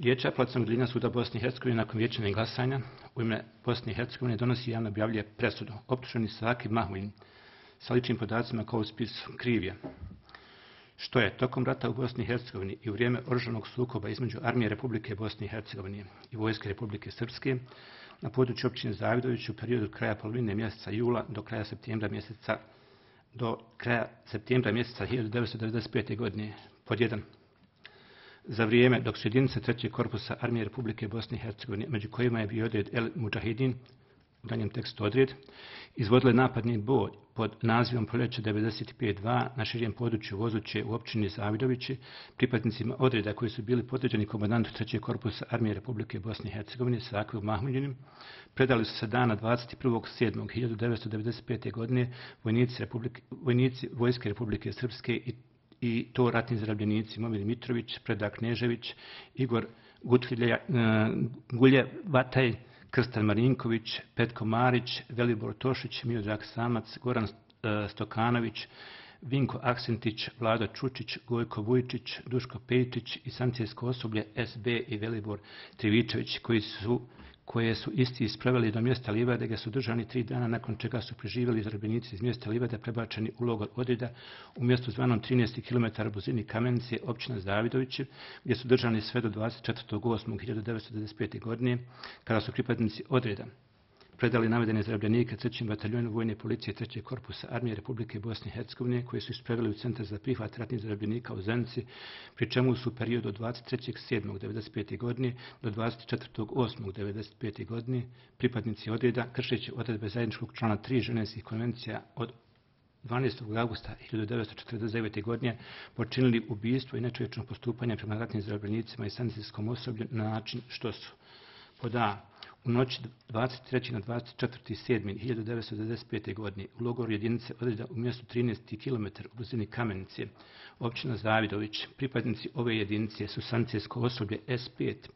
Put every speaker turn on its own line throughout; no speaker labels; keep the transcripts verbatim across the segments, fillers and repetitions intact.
Vijeće apelacionog odeljenja suda Bosne i Hercegovine nakon vijećanja glasanja u ime Bosne i Hercegovine donosi i javno objavljuje presudu. Optuženi Saki Mahmudin sa ličnim podacima kao u spisu kriv je što je tokom rata u Bosni i Hercegovini i u vrijeme oružanog sukoba između armije Republike Bosne i Hercegovine i vojske Republike Srpske na području općine Zavidović u periodu od kraja polovine mjeseca jula do kraja septembra mjeseca do kraja septembra mjeseca hiljadu devetsto devedeset pete. godine pod jedan. Za vrijeme dok su jedinice trećeg korpusa armije Republike Bosne i Hercegovine, među kojima je bio odred El Mudžahidin, u danjem tekstu odred, izvodile napadni boj pod nazivom Proljeće devedeset pet dva na širem području Vozuće u općini Zavidovići, pripadnicima odreda koji su bili podređeni komandantu trećeg korpusa armije Republike Bosne i Hercegovine Saku Mahmudinim, predali su se dana dvadeset prvog sedmog hiljadu devetsto devedeset pete. godine vojnici, Republike, vojnici Vojske Republike Srpske i i to ratni zarobljenici Momir Mitrović, Predrag Knežević, Igor Gutvilja, Gulje Vataj, Krstan Marinković, Petko Marić, Velibor Tošić, Miodrag Samac, Goran Stokanović, Vinko Aksentić, Vlado Čučić, Gojko Vujčić, Duško Pejčić i sankcijsko osoblje S B i Velibor Trivičević, koji su koje su isti ispravili do mjesta livade, gdje su držani tri dana, nakon čega su preživjeli zarobljenici iz mjesta livade prebačeni u logor odreda u mjestu zvanom trinaest kilometara blizini Kamenice, općina Zavidovići, gdje su držani sve do dvadeset četvrtog osmog hiljadu devetsto devedeset pete. godine, kada su pripadnici odreda predali navedene zarobljenike trećem bataljonu vojne policije trećeg korpusa armije Republike Bosne i Hercegovine, koji su ispravili u centar za prihvat ratnih zarobljenika u Zenici, pri čemu su u periodu od dvadeset trećeg sedmog devedeset pete. godine do dvadeset četvrtog osmog devedeset pete. godine pripadnici odreda, kršeći odredbe zajedničkog člana tri Ženevskih konvencija od dvanaestog augusta hiljadu devetsto četrdeset devete. godine počinili ubijstvo i nečovječno postupanje prema ratnim zarobljenicima i sanitetskom osoblju na način što su pod a. U noći dvadeset trećeg na dvadeset četvrtog sedmog hiljadu devetsto devedeset pete. godine u logoru jedinice odreda u mjestu trinaest kilometara u blizini Kamenice, općina Zavidović, pripadnici ove jedinice su sanitetsko osoblje S pet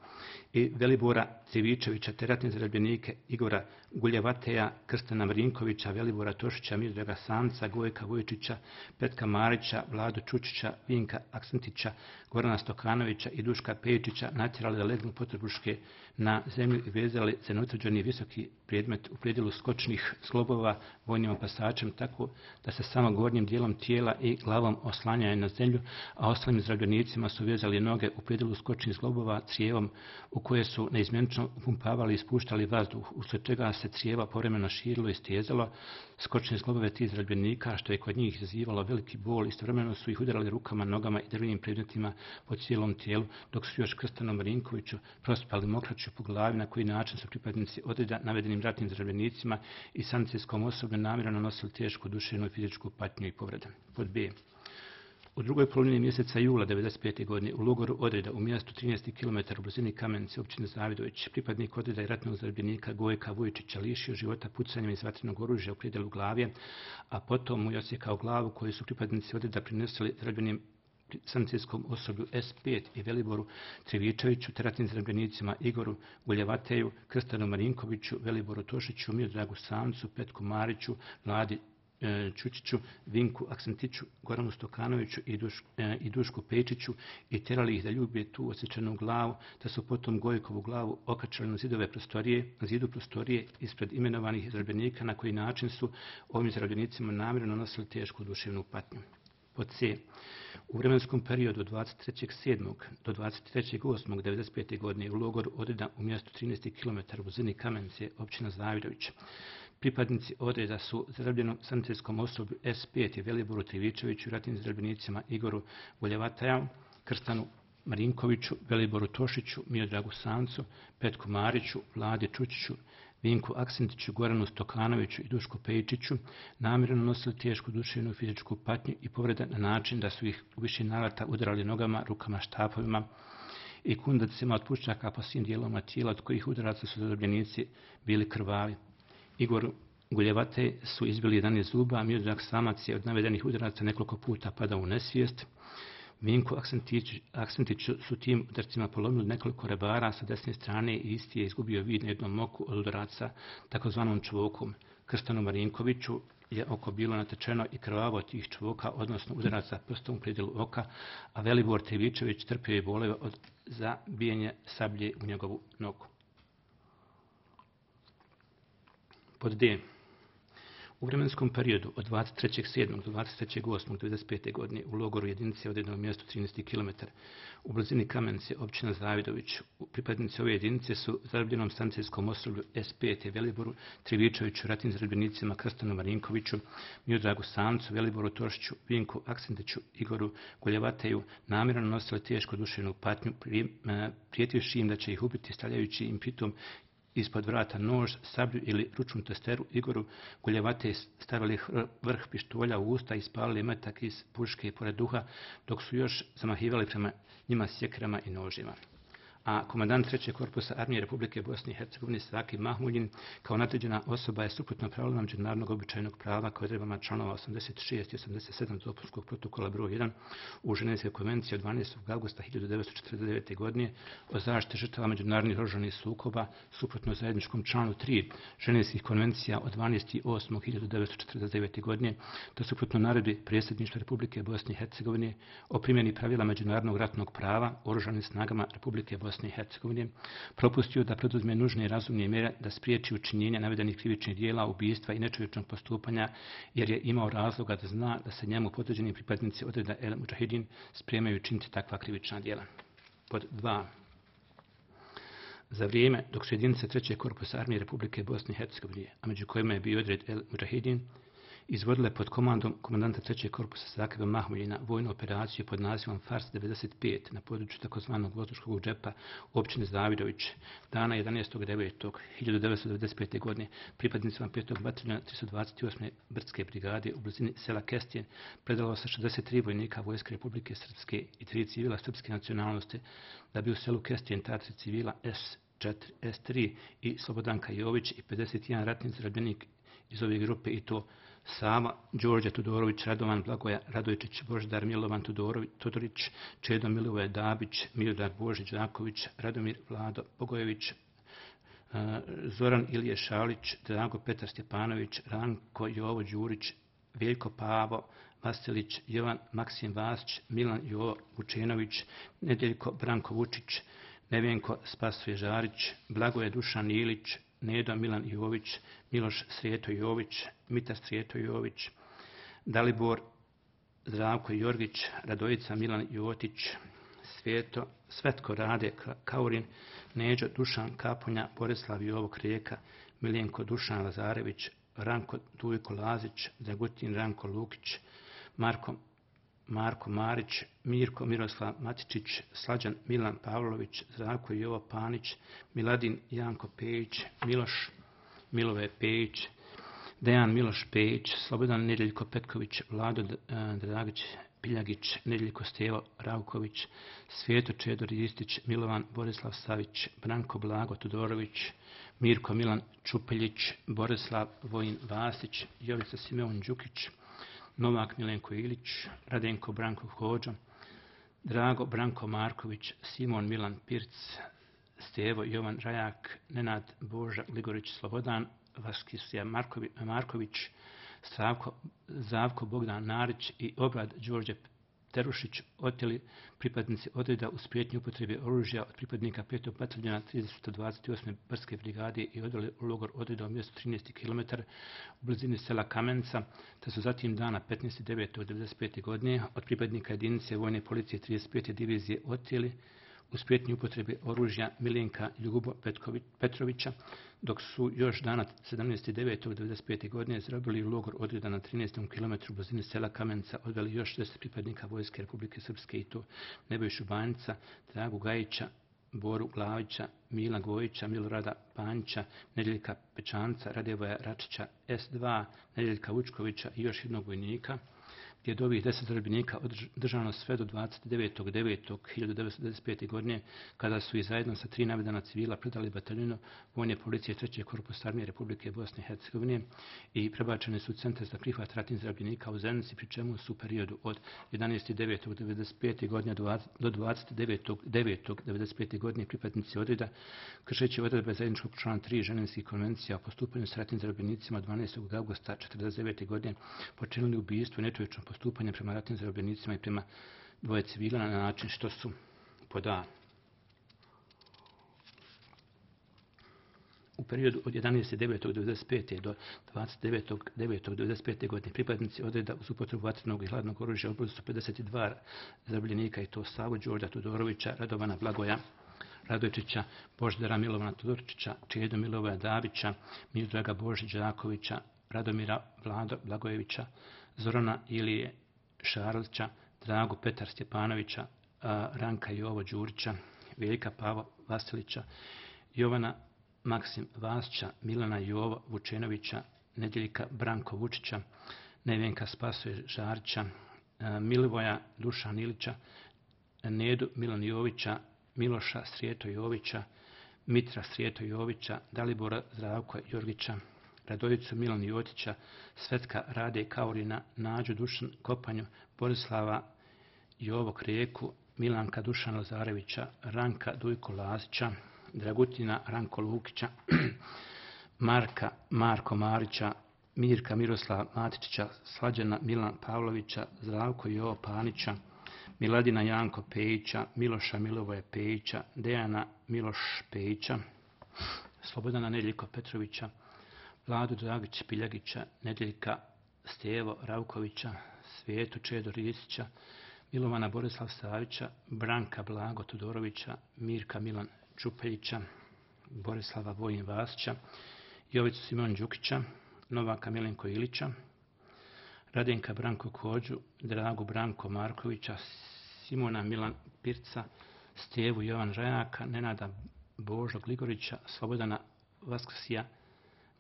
i Velibora Civičevića te ratne zarobljenike Igora Guljevateja, Krstana Marinkovića, Velibora Tošića, Miodraga Samca, Gojka Vujčića, Petka Marića, Vladu Čučića, Vinka Aksentića, Gorana Stokanovića i Duška Pejčića natjerali da legnu potrebuške na zemlju i vezali za neutvrđeni visoki predmet u predjelu skočnih zglobova vojnim opasačem, tako da se samo gornjim dijelom tijela i glavom oslanjaju na zemlju, a ostalim zarobljenicima su vezali noge u predjelu skočnih zglobova crijevom u koje su neizmjenično upumpavali i ispuštali vazduh, usled čega se crijeva povremeno širilo i stezalo skočne zglobove tih zarobljenika, što je kod njih izazivalo veliki bol. Istovremeno su ih udarali rukama, nogama i drvenim predmetima po cijelom tijelu, dok su još Krstanu Marinkoviću prospali mokraću po glavi, na koji način su pripadnici odreda navedenim ratnim zarobljenicima i sanitetskog osoblju namjerno nosili tešku duševnu i fizičku patnju i povrede. Pod b. U drugoj polovini mjeseca jula devedeset pete. godine u logoru odreda u mjestu trinaest kilometara u blizini Kamenice, općine Zavidović, pripadnik odreda i ratnog zarobljenika Gojka Vujčića lišio života pucanjem iz vatrenog oružja u predjelu glave, a potom mu je osjekao glavu koju su pripadnici odreda prinosili zarobljenim sanitetskom osoblju S pet i Veliboru Trivičeviću, te ratnim zarobljenicima Igoru Guljevateju, Krstanu Marinkoviću, Veliboru Tošiću, Miodragu Samcu, Petku Mariću, Vladi Čučiću, Vinku Aksentiću, Goranu Stokanoviću i, Duš, e, i Dušku Pejčiću i terali ih da ljube tu osjećanu glavu, da su potom Gojkovu glavu okačali na zidove prostorije, na zidu prostorije ispred imenovanih zarobljenika, na koji način su ovim zarobljenicima namjerno nosili tešku duševnu patnju. Pod c. U vremenskom periodu od dvadeset trećeg sedmog do dvadeset trećeg osmog devedeset pete. godine u logoru odreda u mjestu trinaest kilometara u blizini Kamenice, općina Zavidović, pripadnici odreda su zarobljenom sanitetskom osoblju S pet i Veliboru Trivičeviću, ratnim zarobljenicima Igoru Guljevataja, Krstanu Marinkoviću, Veliboru Tošiću, Miodragu Samcu, Petku Mariću, Vladi Čučiću, Vinku Aksentiću, Goranu Stokanoviću i Dušku Pejčiću namjerno nosili tešku duševnu i fizičku patnju i povrede na način da su ih u više navrata udarali nogama, rukama, štapovima i kundacima od puščaka po svim dijelovima tijela, od kojih udaraca su zarobljenici bili krvavi. Igor Guljevate su izbili jedanaest zuba, a Miodrag Samac je od navedenih udaraca nekoliko puta padao u nesvijest. Vinku Aksentiću su tim udarcima polomili nekoliko rebara sa desne strane i isti je izgubio vid na jednom oku od udaraca takozvanom čvokom. Krstanu Marinkoviću je oko bilo natečeno i krvavo od tih čvoka, odnosno udaraca prstom u predjelu oka, a Velibor Trivičević trpio je bolove od zabijenje sablje u njegovu nogu. Pod D. U vremenskom periodu od dvadeset trećeg sedmog do dvadeset trećeg osmog devedeset pete. godine u logoru jedinice odredno mjesto trinaesti kilometar u blizini Kamenice, općina Zavidović. Pripadnici ove jedinice su zarobljenom stancijskom osoblju S pet Veliboru Trivičeviću, ratnim zarobljenicima Krstanu Marinkoviću, Miodragu Samcu, Veliboru Tošiću, Vinku Aksentiću, Igoru Goljevateju namjerno nosili tešku duševnu patnju, prijetivši im da će ih ubiti, stavljajući im pritom ispod vrata nož, sablju ili ručnu testeru. Igoru Goljevate stavili vrh pištolja u usta i spalili metak iz puške pored duha, dok su još zamahivali prema njima sjekrama i nožima. A komandant trećeg korpusa Armije Republike Bosne i Hercegovine Saki Mahmuljin kao nadređena osoba je suprotno pravilima međunarodnog običajnog prava koje odredbama članova osamdeset šest i osamdeset sedam dopunskog protokola broj jedan u Ženevskoj konvenciji od dvanaestog avgusta hiljadu devetsto četrdeset devete. godine o zaštiti žrtava međunarodnih oružanih sukoba, suprotno zajedničkom članu tri Ženevskih konvencija od dvanaestog osmog hiljadu devetsto četrdeset devete. godine, te suprotno naredbi Predsjedništva Republike Bosne i Hercegovine o primjeni pravila međunarodnog ratnog prava oružanim snagama Republike Bosne i Hercegovine, propustio da preduzme nužne i razumne mjere da spriječi učinjenje navedenih krivičnih dijela, ubistva i nečovječnog postupanja, jer je imao razloga da zna da se njemu podređeni pripadnici odreda El Mudžahidin spremaju činiti takva krivična dijela. Pod dva. Za vrijeme dok su jedinice trećeg korpusa Armije Republike Bosne i Hercegovine, a među kojima je bio odred El Mudžahidin, izvodile pod komandom komandanta trećeg korpusa Sakeba Mahmuljina vojnu operaciju pod nazivom Fars devedeset pet na području takozvanog Vozuškog džepa u općini Zavidović. Dana jedanaestog devetog hiljadu devetsto devedeset pete. godine pripadnicima petog bataljona tristo dvadeset osme brdske brigade u blizini sela Kestijen predalo se šezdeset tri vojnika Vojske Republike Srpske i tri civila srpske nacionalnosti, da bi u selu Kestijen ta tri civila S četiri, S tri i Slobodanka Jović i pedeset jedan ratni zarobljenik iz ove grupe, i to Sava, Đorđe Tudorović, Radovan Blagoja Radojčić, Božidar Milovan Tudorović, Todorić, Čedo Milivoje Dabić, Miodrag Božić Đaković, Radomir Vlado Bogojević, Zoran Ilije Šalić, Drago Petar Stjepanović, Ranko Jovo Đurić, Veljko Pavo Vasilić, Jovan Maksim Vasić, Milan Jovo Vučenović, Nedjeljko Branko Vučić, Nevenko Spasoje Žarić, Blagoje Dušan Ilić, Nedo Milan Jović, Miloš Srijeto Jović, Mita Srijeto Jović, Dalibor Zdravko Jorgić, Radojica Milan Jotić, Sveto, Svetko Rade Kaurin, Neđo Dušan Kapunja, Borislav Jovo Krijeka, Miljenko Dušan Lazarević, Ranko Dujko Lazić, Dragutin Ranko Lukić, Marko Marko Marić, Mirko Miroslav Matičić, Slađan Milan Pavlović, Zdravko Jovo Panić, Miladin Janko Pejić, Miloš Milove Pejić, Dejan Miloš Pejić, Slobodan Nedjeljko Petković, Vlado Dragić Piljagić, Nedjeljko Stevo Ravković, Sveto Čedo Ristić, Milovan Borislav Savić, Branko Blago Tudorović, Mirko Milan Čupeljić, Borislav Vojin Vasić, Jovica Simeon Đukić, Novak Milenko Ilić, Radenko Branko Hođa, Drago Branko Marković, Simon Milan Pirc, Stevo Jovan Rajak, Nenad Boža Ligorić Slobodan, Vaskisija Marković, Stravko, Zavko Bogdan Narić i Obrad Đorđe Terušić oteli pripadnici odreda uz prijetnju upotrebe oružja od pripadnika petog bataljona tristo dvadeset osme brdske brigade i odveli u logor odreda u mjestu trinaesti kilometar u blizini sela Kamenca, te su zatim dana petnaestog devetog devedeset pete. godine od pripadnika jedinice vojne policije trideset pete divizije oteli uz prijetnju upotrebe oružja Milenka Ljubo Petrovića, dok su još dana sedamnaestog devetog devedeset pete. godine zarobili u logor odreda na trinaestom kilometru u blizini sela Kamenca, odveli još šezdeset pripadnika Vojske Republike Srpske, i to Nebojšu Banjica, Dragu Gajića, Boru Glavića, Mila Gojića, Milorada Panjića, Nedjeljka Pečanca, Radevoja Račića, S dva, Nedjeljka Vučkovića i još jednog vojnika, gdje je od ovih deset zarobljenika držano sve do dvadeset devetog devetog hiljade devetsto devedeset pete. godine, kada su i zajedno sa tri navedena civila predali bataljunu vojne policije trećeg korpusa armije Republike Bosne i Hercegovine i prebačeni su u centar za prihvat ratnih zarobljenika u Zenici, pri čemu su u periodu od jedanaestog devetog devedeset pete. godine do dvadeset devetog devetog devedeset pete. godine pripadnici odreda, kršeći odredbe zajedničkog člana tri Ženevskih konvencija o postupanju s ratnim zarobljenicima dvanaestog avgusta četrdeset devete. godine počinili ubijstvo i nečovječno postupanje prema ratnim zarobljenicima i prema dvoje civila na način što su pod A. U periodu od jedanaestog devetog devedeset pete. do dvadeset devetog devetog devedeset pete. godine pripadnici odreda uz upotrebu vatrenog i hladnog oružja ubili su pedeset dva zarobljenika, i to Savu Đorđa Todorovića, Radovana Blagoja Radojčića, Božidara Milovana Todorčića, Čedu Milovoja Davića, Miodraga Božić Đakovića, Radomira Vlado Blagojevića, Zorana Ilije Šarlića, Dragu Petar Stjepanovića, Ranka Jovo Đurića, Veljka Pavo Vasilića, Jovana Maksim Vasića, Milana Jovo Vučenovića, Nedjeljka Branko Vučića, Nevenka Spasoje Žarića, Milivoja Dušan Ilića, Nedu Milan Jovića, Miloša Srijeto Jovića, Mitra Srijeto Jovića, Dalibora Zdravko Jorgića, Radojicu Milan Jotića, Svetka Rade Kaurina, Nađu Dušan Kopanju, Borislava Jovo Krijeku, Milanka Dušan Lazarevića, Ranka Dujko Lazića, Dragutina Ranko Lukića, Marka Marko Marića, Mirka Miroslava Matičića, Slađana Milan Pavlovića, Zdravko Jovo Panića, Miladina Janko Pejića, Miloša Milovoje Pejića, Dejana Miloš Pejića, Slobodana Nedjeljko Petrovića, Vladu Dragić Piljagića, Nedjeljka Stevo Ravkovića, Svijetu Čedo Risića, Milovana Borislav Savića, Branka Blago Todorovića, Mirka Milan Čupeljića, Borislava Vojin Vasića, Jovicu Simon Đukića, Novaka Milenko Ilića, Radenka Branko Kođu, Dragu Branko Markovića, Simona Milan Pirca, Stevu Jovan Žajaka, Nenada Božo Gligorića, Slobodana Vaskrsija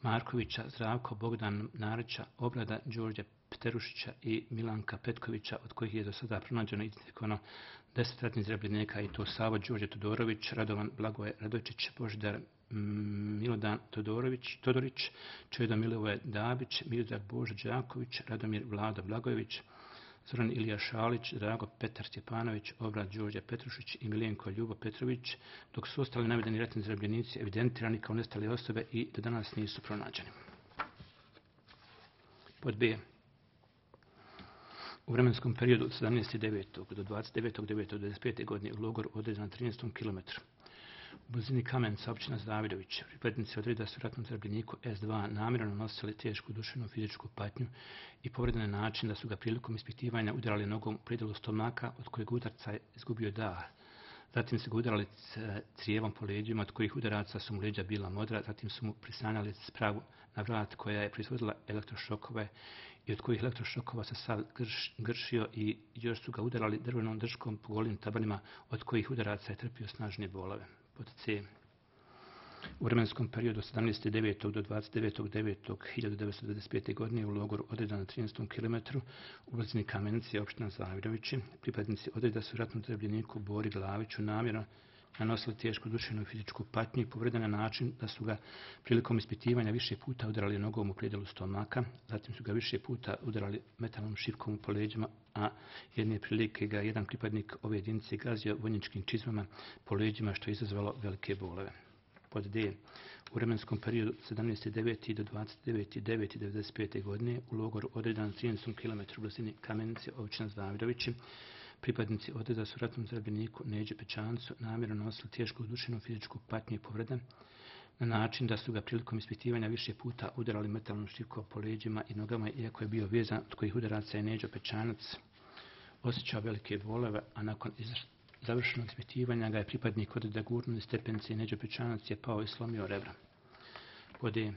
Markovića, Zdravko Bogdan Narića, Obrada Đorđe Pterušića i Milanka Petkovića, od kojih je do sada pronađeno identifikovano deset ratnih zarobljenika, i to Savo Đorđe Todorović, Radovan Blagoje Radojčić, Božidar Milodan Todorović, Todorić, Čedo Milovoje Dabić, Miodrag Božo Đaković, Radomir Vlado Blagojević, Zoran Ilija Šalić, Drago Petar Stjepanović, Obrad Đorđe Petrušić i Miljenko Ljubo Petrović, dok su ostali navedeni ratni zarobljenici evidentirani kao nestale osobe i do danas nisu pronađeni. Pod B. U vremenskom periodu od sedamnaestog devetog do dvadeset devetog devetog devedeset pete. godine u logoru određen na trinaestom kilometru. U blizini Kamenca, općina Zavidović, pripadnici odreda su ratnom zarobljeniku S dva namjerno nosili tešku duševnu fizičku patnju i povredili na način da su ga prilikom ispitivanja udarali nogom u predjelu stomaka, od kojeg udarca je izgubio dah. Zatim su ga udarali crijevom po leđima, od kojih udaraca su mu leđa bila modra, zatim su mu prisanjali spravu na vrat koja je proizvodila elektrošokove i od kojih elektrošokova se sav grš, gršio i još su ga udarali drvenom držkom po golim tabanima, od kojih udaraca je trpio snažnije bolove. Pod C. U vremenskom periodu od sedamnaestog devetog do dvadeset devetog devetog hiljade devetsto devedeset pete. godine u logoru odreda na trinaestom kilometru u blizini Kamenice, opština Zavidovići, pripadnici odreda su ratnom zarobljeniku Bori Glaviću namjerno nanosili tešku duševnu i fizičku patnju i povredili na način da su ga prilikom ispitivanja više puta udarali nogom u predjelu stomaka, zatim su ga više puta udarali metalnom šipkom po leđima, a jedne prilike ga jedan pripadnik ove jedinice gazio vojničkim čizmama po leđima, što je izazvalo velike bolove. Pod D. U vremenskom periodu od sedamnaestog devetog do dvadeset devetog devetog devedeset pete. godine u logoru odredan na trinaestom kilometru u blizini Kamenice, općina Zavidovići, pripadnici odreda su ratnom zarobljeniku Neđi Pečancu namjerno nosili tešku duševnu fizičku patnju i povrede na način da su ga prilikom ispitivanja više puta udarali metalnom šipkom po leđima i nogama, iako je bio vezan, od kojih udaraca je Neđo Pečanac osjećao velike bolove, a nakon završenog ispitivanja ga je pripadnik odreda gurnuo iz stepenice i Neđo Pečanac je pao i slomio rebra. Pod E.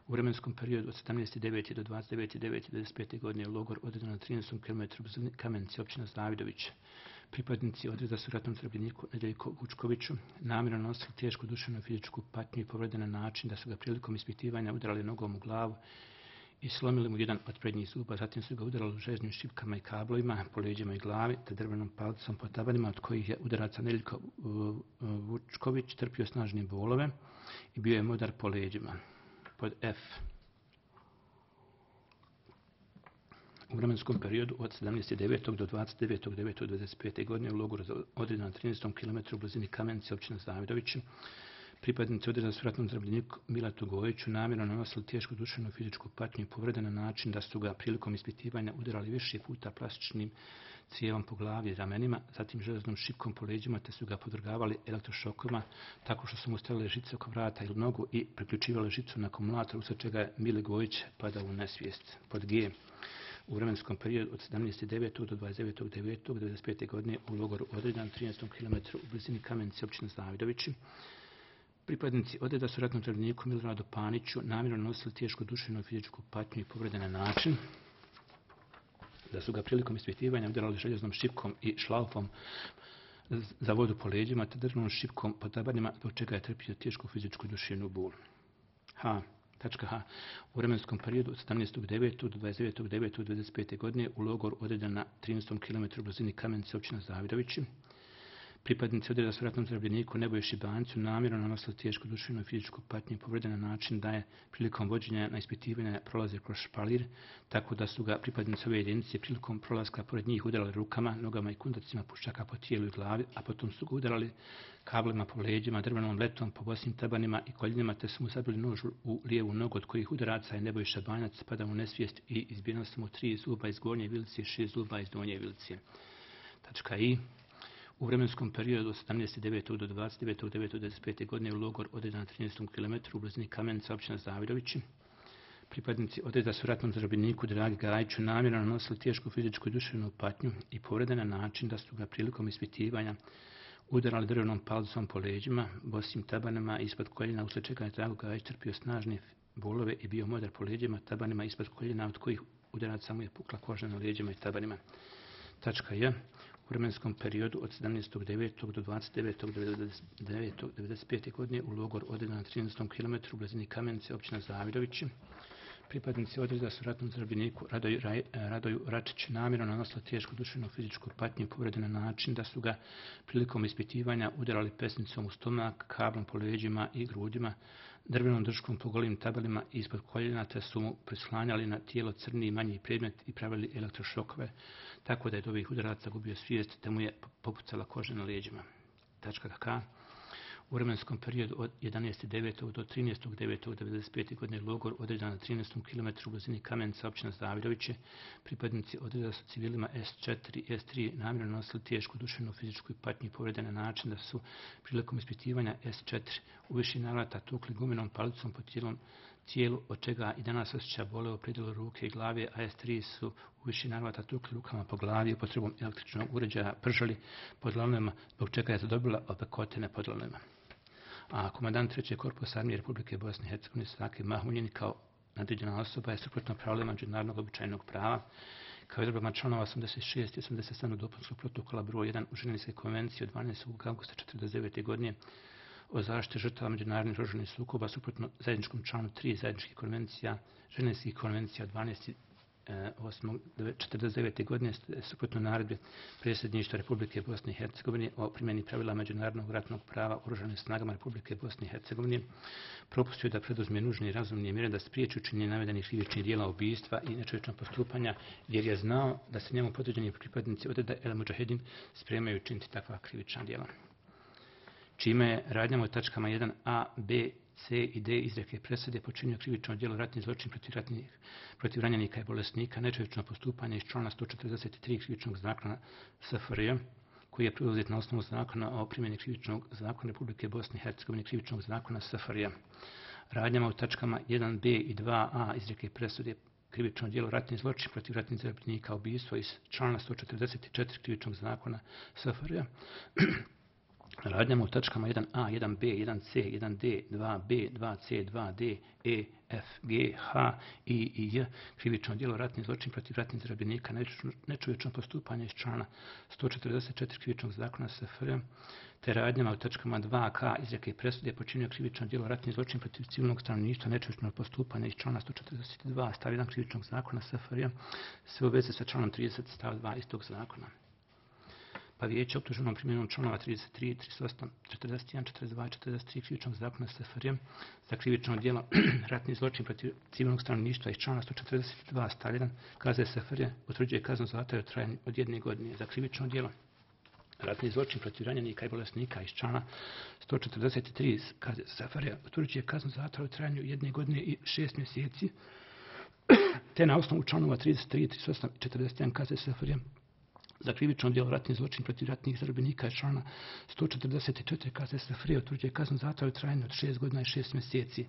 U vremenskom periodu od sedamnaestog devetog do dvadeset devetog devetog devedeset pete. godine u logor odredan na trinaestom kilometru u Kamenici, općina Zavidović, pripadnici odreda su ratnom zarobljeniku Nedjeljko Vučkoviću namjerno nosili tešku duševnu i fizičku patnju i povrede na način da su ga prilikom ispitivanja udarali nogom u glavu i slomili mu jedan od prednjih zuba, zatim su ga udarali željeznim šipkama i kablovima po leđima i glavi, te drvenom palicom po tabanima, od kojih je udaraca Neljko Vučković trpio snažne bolove i bio je modar po leđima. Pod F. U vremenskom periodu od sedamnaest devetog do dvadeset devetog devetog dvadeset pete. godine u logoru određen na trinaestom kilometru u blizini Kamenice, općina Zavidovići, pripadnici odreda su ratnom zarobljeniku Milatu Gojiću namjerno nanosili tešku duševnu fizičku patnju i povrede na način da su ga prilikom ispitivanja udarali više puta plastičnim cijevom po glavi i ramenima, zatim železnom šipkom po leđima, te su ga podvrgavali elektrošokama tako što su mu stavili žice oko vrata ili nogu i priključivali žicu na akumulator, usled čega je Mile Gojić padao u nesvijest. Pod G. U vremenskom periodu od sedamnaest devetog do dvadeset devetog devetog dvadeset pete. godine u logoru odredan trinaestom kilometru u blizini Kamenice, općina Zavidovići, pripadnici odreda su ratnom zarobljeniku Miloradu Paniću namjerno nosili tešku duševnu fizičku patnju i povrede na način da su ga prilikom ispitivanja udarali željeznom šipkom i šlaufom za vodu po leđima te drvnom šipkom po tabanima, zbog čega je trpio tešku fizičku duševnu bol. H. H. U vremenskom periodu od sedamnaestog devetog do dvadeset devetog devetog dvadeset pete. godine u logor odredan na trinaestom kilometru u blizini Kamenice, općina Zavidovići, pripadnici odreda su ratnom zarobljeniku Nebojši Bancu namjerno nanosili tešku duševnu i fizičku patnju i povrede na način da je prilikom vođenja na ispitivanja prolazio kroz špalir, tako da su ga pripadnici ove jedinice prilikom prolaska pored njih udarali rukama, nogama i kundacima puščaka po tijelu i glavi, a potom su ga udarali kablima po leđima, drvenom letom, po bosnim tabanima i koljenima, te su mu zabili nož u lijevu nogu, od kojih udaraca je Nebojša Banjac padao u nesvijest i izbijeno su mu tri zuba iz gornje vilice i šest zuba iz donje vilice. Tačka I. U vremenskom periodu od sedamnaest devetog do dvadeset devetog devetog dvadeset pete. godine u logor odredan na trinaestom kilometru u blizini Kamenice, općina Zavidovići, pripadnici odreda su ratnom zarobljeniku Dragi Gajiću namjerno nanosili tešku fizičku i duševnu patnju i povrede na način da su ga prilikom ispitivanja udarali drvenom palicom po leđima, bosim tabanima ispod koljena, usled čega je Drago Gajić trpio snažne bolove i bio modar po leđima, tabanima ispod koljena, od kojih udaraca mu je pukla koža na leđima i tabanima. Tačka J. U vremenskom periodu od sedamnaestog devetog do dvadeset devetog devedeset pete. godine u logor odredan na trinaestom kilometru u blizini Kamenice, općina Zavidovići, pripadnici odreda su ratnom zarobljeniku Radoju, Radoju Račić namjerno nanosili tešku duševnu fizičku patnju i povrede na način da su ga prilikom ispitivanja udarali pesnicom u stomak, kablom po leđima i grudima, drvenom držkom po golim tabelima ispod koljena, te su mu prislanjali na tijelo crni i manji predmet i pravili elektrošokove, tako da je od ovih udaraca gubio svijest, te mu je popucala koža na leđima. Tačka K. U vremenskom periodu od jedanaest devetog do trinaest devetog devedeset pete. godine logor odredan na trinaestom kilometru u blizini Kamenice, općina Zavidovići, pripadnici odreda su civilima S četiri i S tri namjerno nosili tešku duševnu fizičku i patnju i povrede na način da su prilikom ispitivanja S četiri u više navrata tukli gumenom palicom po tijelom, tijelu, od čega i danas osjeća bole u predjelu ruke i glave, a S tri su u više navrata tukli rukama po glavi upotrebom električnog uređaja pržali pod lavnama, zbog čega je zadobila opekotine pod lavnama. A komandant trećeg korpusa armije Republike Bosne i Hercegovine Saki Mahmunjin kao nadređena osoba je suprotno pravilima međunarodnog običajnog prava, kao i odredbama članova osamdeset šest i osamdeset sedam dopunskog protokola broj jedan u Ženevske konvencije od dvanaestog avgusta četrdeset devete. godine o zaštiti žrtava međunarodnih oružanih sukoba, suprotno zajedničkom članu tri zajedničkih konvencija, Ženevskih konvencija od dvanaestog osmog četrdeset devete. godine, suprotno naredbi predsjedništva Republike Bosne i Hercegovine o primjeni pravila međunarodnog ratnog prava oružanim snagama Republike Bosne i Hercegovine, propustio da preduzme nužne i razumne mjere da spriječi učinjenje navedenih krivičnih djela ubijstva i nečovječnog postupanja, jer je znao da se njemu podređeni pripadnici odreda El Mudžahedin spremaju učiniti takva krivična djela. Čime je radnjama u tačkama jedan a, b, c i d izreke presude počinio krivično djelo ratni zločin protiv, ratnih, protiv ranjenika i bolesnika, nečovječno postupanje iz člana sto četrdeset tri krivičnog zakona S F R J, koji je preuzet na osnovu zakona o primjeni krivičnog zakona Republike Bosne i Hercegovine, krivičnog zakona S F R J. Radnjama u tačkama jedan b i dva a izreke presude krivično djelo ratni zločin protiv ratnih zarobljenika, ubijstvo iz člana sto četrdeset četiri krivičnog zakona S F R J, radnjama u tačkama jedan a, jedan be, jedan ce, jedan de, dva be, dva ce, dva de, e, f, g, h, i i j, krivično djelo ratni zločin protiv ratnih zarobljenika, nečovječno postupanje iz člana sto četrdeset četiri krivičnog zakona es ef er, te radnjama u tačkama dva ka izreke i presude počinio krivično djelo ratni zločin protiv civilnog stanovništva, nečovječno postupanje iz člana sto četrdeset dva stav jedan krivičnog zakona es ef er, sve u vezi sa članom trideset stav dva istog zakona. Pa vijeće optuženom primjenom članova trideset tri, trideset osam, četrdeset jedan, četrdeset dva i četrdeset tri krivičnog zakona es ef er za krivično djelo ratni zločin protiv civilnog stanovništva iz člana sto četrdeset dva stav jedan kaze es ef er utvrđuje kaznu zatvora u trajanju od jedne godine za krivično djelo ratni zločin protiv ranjenika i bolesnika iz člana sto četrdeset tri kaze es ef er utvrđuje kaznu zatvora u trajanju jedne godine i šest mjeseci, te na osnovu članova trideset tri, trideset osam i četrdeset jedan kaze es ef er za krivično djelo ratni zločin protiv ratnih zarobljenika iz člana sto četrdeset četiri kaze es ef er utvrđuje kaznu zatvora u trajanju od šest godina i šest mjeseci,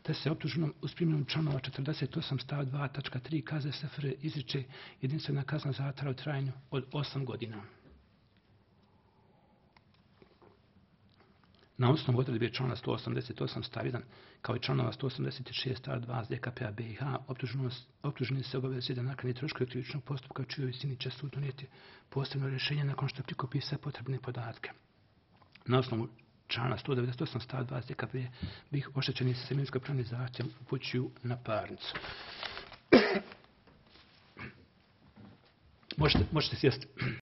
te se optuženom uz primjenu članova četrdeset osam stav dva tačka tri kaze es ef er izriče jedinstvena kazna zatvora u trajanju od osam godina. Na osnovu odredbe člana sto osamdeset osam stav jedan kao i članova sto osamdeset šest stav dva ze ka pe a be i ha optuženi se obavezuje da naknadi troškove krivičnog postupka u čijoj visini će sud donijeti posebno rješenje nakon što prikupi sve potrebne podatke. Na osnovu člana sto devedeset osam stav dva ze ka pe a be ih oštećeni se imovinsko-pravni zahtjev upućuju na parnicu. Možete, možete sjesti.